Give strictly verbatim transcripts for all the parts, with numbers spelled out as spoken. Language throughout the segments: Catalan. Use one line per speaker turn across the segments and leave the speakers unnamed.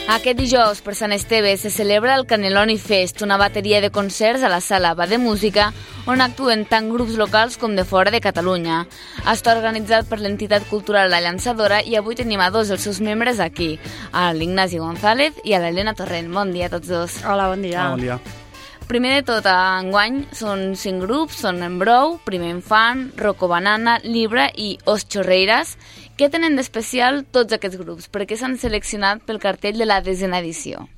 Aquest dijous, per Sant Esteve, se celebra el Cannelloni Fest, una bateria de concerts a la sala Va de Música, on actuen tant grups locals com de fora de Catalunya. Està organitzat per l'entitat cultural La Llançadora i avui tenim a dos dels seus membres aquí, a l'Ignasi González i a l'Helena Torrent. Bon dia a tots dos.
Hola, bon dia.
Ah, bon dia.
Primer de tot, enguany són cinc grups, són Embrou, Primer Infant, Rocco Banana, Libra i Os Chorreiras. Què tenen d'especial tots aquests grups? Per què s'han seleccionat pel cartell de la desena edició?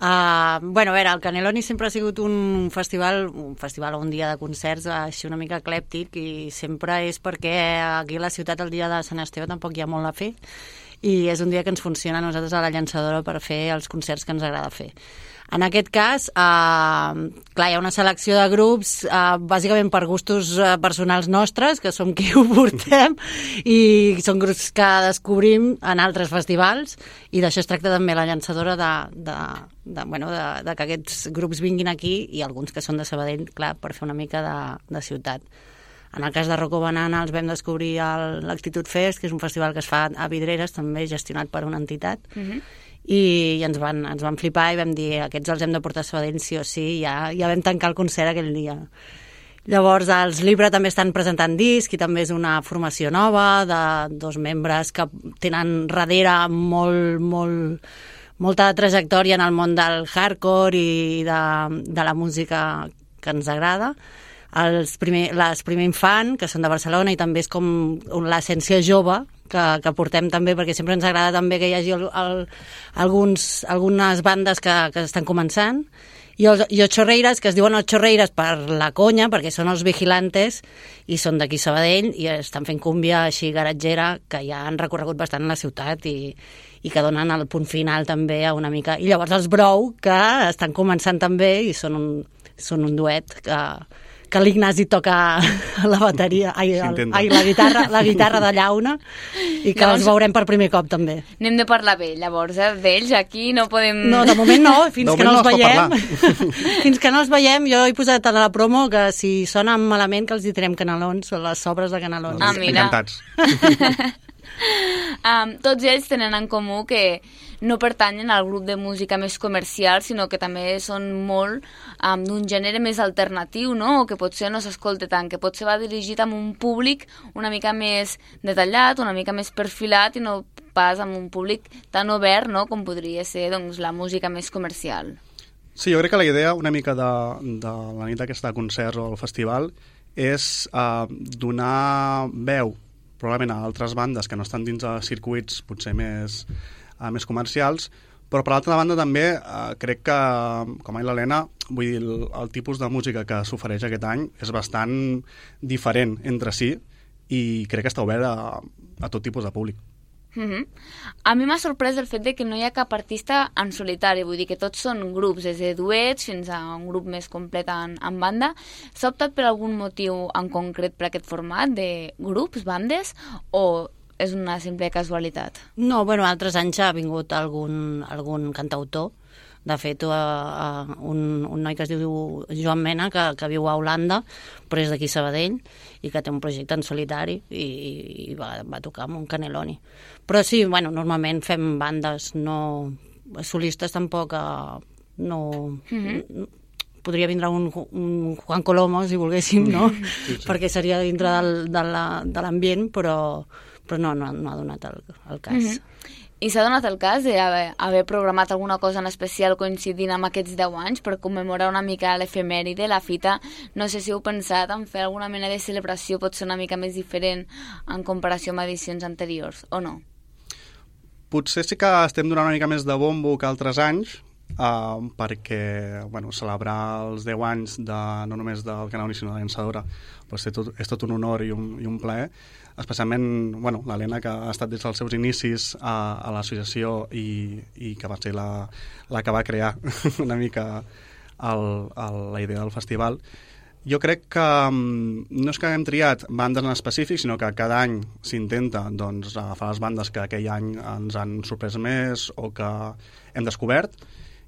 Uh, bueno, a veure, el Cannelloni sempre ha sigut un festival, un festival o un dia de concerts així una mica eclèptic, i sempre és perquè aquí a la ciutat el dia de Sant Esteve tampoc hi ha molt a fer, i és un dia que ens funciona a nosaltres a la Llançadora per fer els concerts que ens agrada fer. En aquest cas, eh, clar, hi ha una selecció de grups, eh, bàsicament per gustos eh, personals nostres, que som qui ho portem, i són grups que descobrim en altres festivals, i d'això es tracta també la Llançadora, de, de, de, bueno, de, de que aquests grups vinguin aquí, i alguns que són de Sabadell, clar, per fer una mica de, de ciutat. En el cas de Rocco Banana els vam descobrir a l'Actitud Fest, que és un festival que es fa a Vidreres, també gestionat per una entitat, uh-huh. i ens van, ens van flipar i vam dir aquests els hem de portar a Sabadell sí o sí, i ja, ja vam tancar el concert aquell dia. Llavors els Libra també estan presentant disc, i també és una formació nova de dos membres que tenen darrere molt, molt, molta trajectòria en el món del hardcore i de, de la música que ens agrada. Els primer, les Primer Infant, que són de Barcelona, i també és com l'essència jove que, que portem també, perquè sempre ens agrada també que hi hagi el, el, alguns, algunes bandes que, que estan començant, i els i els Chorreiras, que es diuen els Chorreiras per la conya, perquè són els vigilantes i són d'aquí Sabadell i estan fent cúmbia així garatgera, que ja han recorregut bastant la ciutat i, i que donen el punt final també a una mica. I llavors els Brou, que estan començant també i són un, són un duet que que l'Ignasi toca la bateria, ai, el, ai, la guitarra, la guitarra de llauna, i que llavors els veurem per primer cop també.
Anem de parlar bé, llavors, eh? D'ells aquí no podem...
No, de moment no, fins
de
que no
no
els veiem. Fins que no els veiem, jo he posat a la promo que si sonen malament que els direm canelons, o les sobres de canelons.
Ah, mira.
Encantats.
um, tots ells tenen en comú que no pertanyen al grup de música més comercial, sinó que també són molt um, d'un gènere més alternatiu, no? O que potser no s'escolta tant, que potser va dirigit a un públic una mica més detallat, una mica més perfilat, i no pas amb un públic tan obert, no?, com podria ser doncs, la música més comercial.
Sí, jo crec que la idea una mica de, de la nit aquesta de concerts o el festival és uh, donar veu probablement a altres bandes que no estan dins de circuits potser més, uh, més comercials, però per l'altra banda també uh, crec que, com ha dit l'Helena, vull dir, el, el tipus de música que s'ofereix aquest any és bastant diferent entre si, i crec que està obert a, a tot tipus de públic.
Mm-hmm. A mi m'ha sorprès el fet de que no hi ha cap artista en solitari, vull dir que tots són grups, des de duets fins a un grup més complet en, en banda. S'ha optat per algun motiu en concret per aquest format de grups, bandes, o és una simple casualitat?
No, bueno, altres anys ha vingut algun, algun cantautor. De fet, uh, uh, un, un noi que es diu Joan Mena, que, que viu a Holanda, però és d'aquí Sabadell, i que té un projecte en solitari, i, i va, va tocar amb un Cannelloni. Però sí, bueno, normalment fem bandes, no solistes tampoc, uh, no... Mm-hmm. Podria vindre un, un Juan Colomo, si volguéssim, no? Sí, sí. Perquè seria dintre del, de, la, de l'ambient, però, però no, no, no ha donat el, el cas. Mm-hmm.
I s'ha donat el cas d'haver haver programat alguna cosa en especial coincidint amb aquests deu anys per commemorar una mica l'efemèride, la fita? No sé si heu pensat en fer alguna mena de celebració, potser una mica més diferent en comparació amb edicions anteriors, o no?
Potser sí que estem donant una mica més de bombo que altres anys, uh, perquè bueno, celebrar els deu anys de, no només del Cannelloni sinó de la Llançadora, doncs és tot, és tot un honor i un, i un plaer. Especialment bueno, l'Helena, que ha estat des dels seus inicis a, a l'associació i, i que va ser la, la que va crear una mica el, el, la idea del festival. Jo crec que no és que haguem triat bandes en específic, sinó que cada any s'intenta doncs, agafar les bandes que aquell any ens han sorprès més o que hem descobert,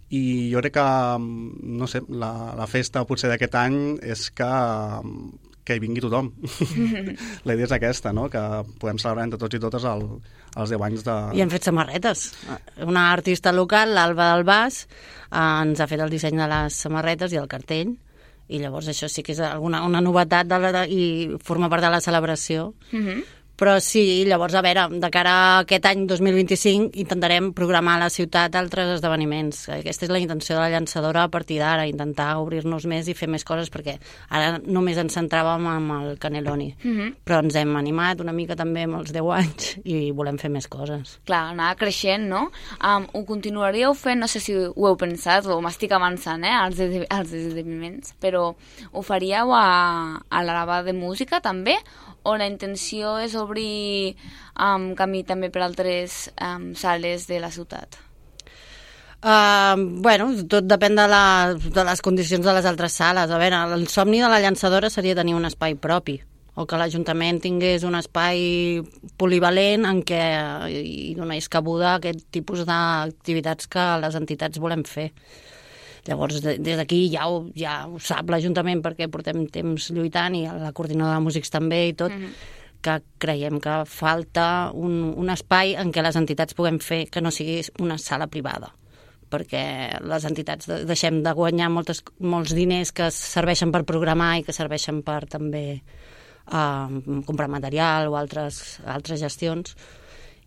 i jo crec que no sé, la, la festa potser d'aquest any és que que hi vingui tothom. La idea és aquesta, no? Que podem celebrar entre tots i totes el, els deu anys de...
I hem fet samarretes. Una artista local, l'Alba del Bas, eh, ens ha fet el disseny de les samarretes i el cartell, i llavors això sí que és alguna, una novetat de la, i forma part de la celebració. Mm-hmm. Però sí, llavors, a veure, de cara a aquest any dos mil vint-i-cinc intentarem programar a la ciutat altres esdeveniments. Aquesta és la intenció de la llançadora a partir d'ara, intentar obrir-nos més i fer més coses, perquè ara només ens centràvem en el Cannelloni. Mm-hmm. Però ens hem animat una mica també amb els deu anys i volem fer més coses.
Clar, anar creixent, no? Um, ho continuaríeu fent, no sé si ho heu pensat o m'estic avançant, eh, als, de, als esdeveniments, però ho faríeu a, a la lavada de música també? O la intenció és obrir um, camí també per altres um, sales de la ciutat?
Uh, bueno, tot depèn de, la, de les condicions de les altres sales. A veure, el somni de la llançadora seria tenir un espai propi, o que l'Ajuntament tingués un espai polivalent en què hi donés cabuda a aquest tipus d'activitats que les entitats volem fer. Llavors, des d'aquí ja ho, ja ho sap l'Ajuntament, perquè portem temps lluitant, i la coordinadora de músics també i tot, mm-hmm. que creiem que falta un, un espai en què les entitats puguem fer que no sigui una sala privada, perquè les entitats deixem de guanyar moltes, molts diners que serveixen per programar i que serveixen per també uh, comprar material o altres, altres gestions.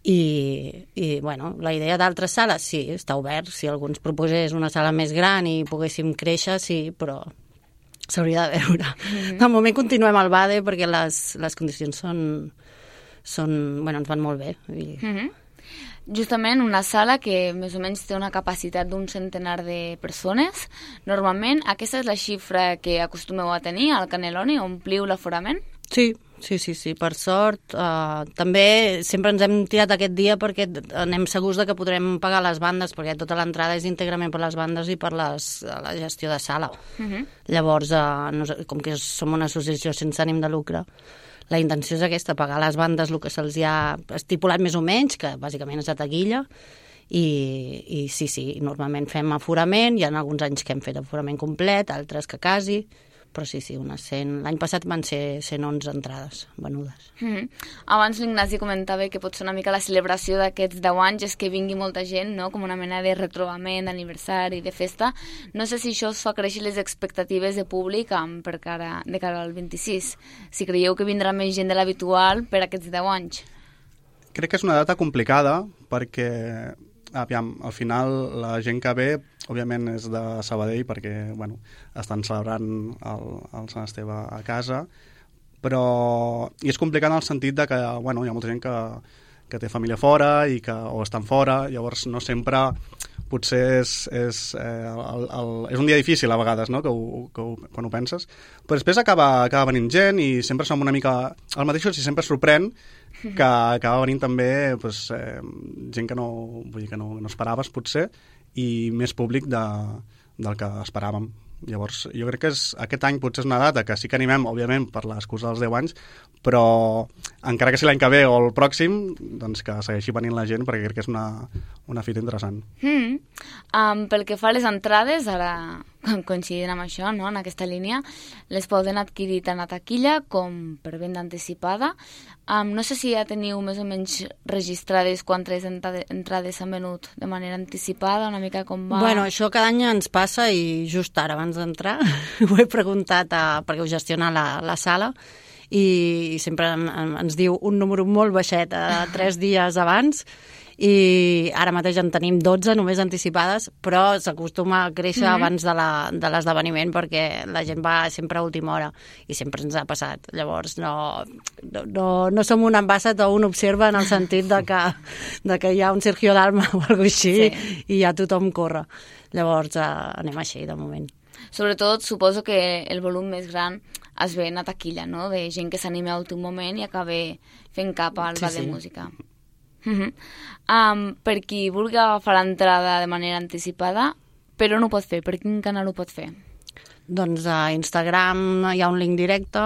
I, i bueno, la idea d'altres sales, sí, està obert. Si algú ens proposés una sala més gran i poguéssim créixer, sí, però s'hauria de veure. Mm-hmm. De moment continuem al Bade perquè les, les condicions són, són, bueno, ens van molt bé. I...
Mm-hmm. Justament una sala que més o menys té una capacitat d'un centenar de persones. Normalment, aquesta és la xifra que acostumeu a tenir al Cannelloni, ompliu l'aforament?
Sí, sí, sí, sí, per sort. Uh, també sempre ens hem tirat aquest dia perquè anem segurs de que podrem pagar les bandes, perquè tota l'entrada és íntegrament per les bandes i per les, la gestió de sala. Uh-huh. Llavors, uh, no, com que som una associació sense ànim de lucre, la intenció és aquesta, pagar les bandes el que se'ls ha estipulat més o menys, que bàsicament és a taquilla, i, i sí, sí, normalment fem aforament, hi ha alguns anys que hem fet aforament complet, altres que quasi, però sí, sí, unes cent... L'any passat van ser cent onze entrades venudes.
Mm-hmm. Abans l'Ignasi comentava que pot ser una mica la celebració d'aquests deu anys és que vingui molta gent, no? Com una mena de retrobament, d'aniversari, de festa. No sé si això us fa créixer les expectatives de públic um, per cara, de cara al vint-i-sis. Si creieu que vindrà més gent de l'habitual per aquests deu anys.
Crec que és una data complicada perquè, aviam, al final la gent que ve òbviament és de Sabadell perquè, bueno, estan celebrant el, el Sant Esteve a casa, però i és complicat en el sentit de que, bueno, hi ha molta gent que, que té família fora i que, o estan fora, llavors no sempre potser és, és, eh, el, el, és un dia difícil a vegades, no? que ho, que ho, quan ho penses, però després acaba, acaba venint gent i sempre som una mica el mateix, i sempre sorprèn que acaba venint també pues, eh, gent que no, vull dir, que no, no esperaves potser, i més públic de, del que esperàvem. Llavors, jo crec que és, aquest any potser és una data que sí que animem, òbviament, per l'excusa dels deu anys, però encara que sigui l'any que ve o el pròxim, doncs que segueixi venint la gent, perquè crec que és una, una fita interessant.
Mm. Um, pel que fa a les entrades, ara coincidint amb això, no? En aquesta línia, les poden adquirir tant a taquilla com per venda anticipada. Um, no sé si ja teniu més o menys registrades quantes entrades s'han venut de manera anticipada, una mica com va...
Bueno, això cada any ens passa i just ara, abans d'entrar, ho he preguntat a, perquè ho gestiona la, la sala, i sempre en, en, ens diu un número molt baixet a tres dies abans, i ara mateix en tenim dotze només anticipades, però s'acostuma a créixer mm-hmm. abans de la, de l'esdeveniment perquè la gent va sempre a última hora i sempre ens ha passat. Llavors no, no, no, no som un ambassat o un observa en el sentit de que, de que hi ha un Sergio Dalma o alguna així, sí. I ja tothom corre. Llavors eh, anem així de moment.
Sobretot suposo que el volum més gran es ven a taquilla, no? De gent que s'anima a últim moment i acaba fent cap al bar sí, de sí. música. Uh-huh. Um, per qui vulgui agafar l'entrada de manera anticipada, però no ho pot fer, per quin canal ho pot fer?
Doncs a Instagram hi ha un link directe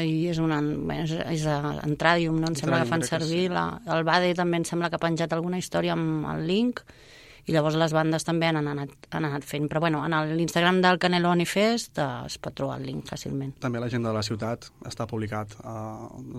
i és una és, és a Entradium, no? Em sembla que fan servir sí. la, el Bade també em sembla que ha penjat alguna història amb el link i llavors les bandes també han anat, han anat fent. Però bueno, en l'Instagram del Cannelloni Fest eh, es pot trobar el link fàcilment.
També a l'agenda de la ciutat està publicat eh,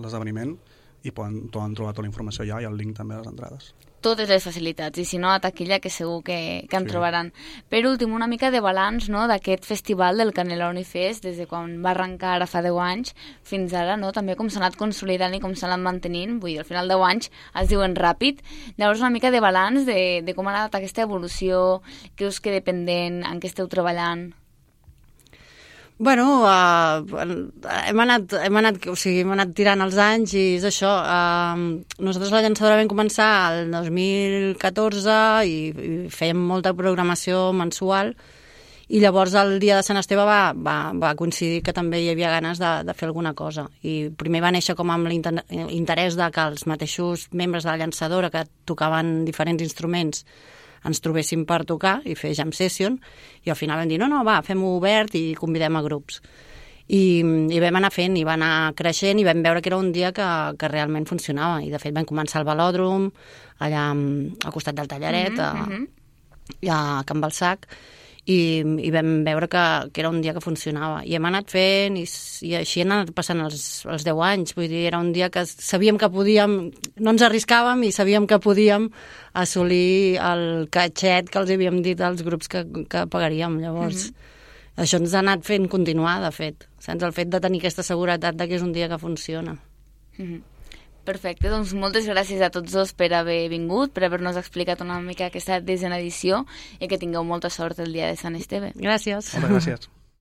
l'esdeveniment i poden, poden trobar tota la informació allà i el link també a les entrades.
Totes les facilitats, i si no, a taquilla, que segur que, que en sí. trobaran. Per últim, una mica de balanç, no?, d'aquest festival del Cannelloni Fest, des de quan va arrencar ara fa deu anys fins ara, no?, també com s'ha anat consolidant i com s'ha anat mantenint, vull dir, al final deu anys es diuen ràpid. Llavors, una mica de balanç de, de com ha anat aquesta evolució, què us queda pendent, en què esteu treballant?
Bueno, uh, hem, anat, hem, anat, o sigui, hem anat tirant els anys i és això. Uh, nosaltres la llançadora vam començar el dos mil catorze i, i fèiem molta programació mensual i llavors el dia de Sant Esteve va, va, va coincidir que també hi havia ganes de, de fer alguna cosa. I primer va néixer com amb l'interès de que els mateixos membres de la llançadora que tocaven diferents instruments ens trobéssim per tocar i fer jam session, i al final vam dir, no, no, va, fem-ho obert i convidem a grups. I, i vam anar fent, i va anar creixent, i vam veure que era un dia que, que realment funcionava, i de fet vam començar al Velòdrom, allà al costat del Tallaret, mm-hmm. a, a Can Balsac, i, i vam veure que, que era un dia que funcionava. I hem anat fent, i, i així han anat passant els, els deu anys. Vull dir, era un dia que sabíem que podíem, no ens arriscàvem i sabíem que podíem assolir el catxet que els havíem dit als grups que, que pagaríem. Llavors, mm-hmm. això ens ha anat fent continuar, de fet. Sense el fet de tenir aquesta seguretat de que és un dia que funciona.
Mm-hmm. Perfecte, doncs moltes gràcies a tots dos per haver vingut, per haver-nos explicat una mica aquesta desena edició i que tingueu molta sort el dia de Sant Esteve.
Gràcies.
Moltes gràcies.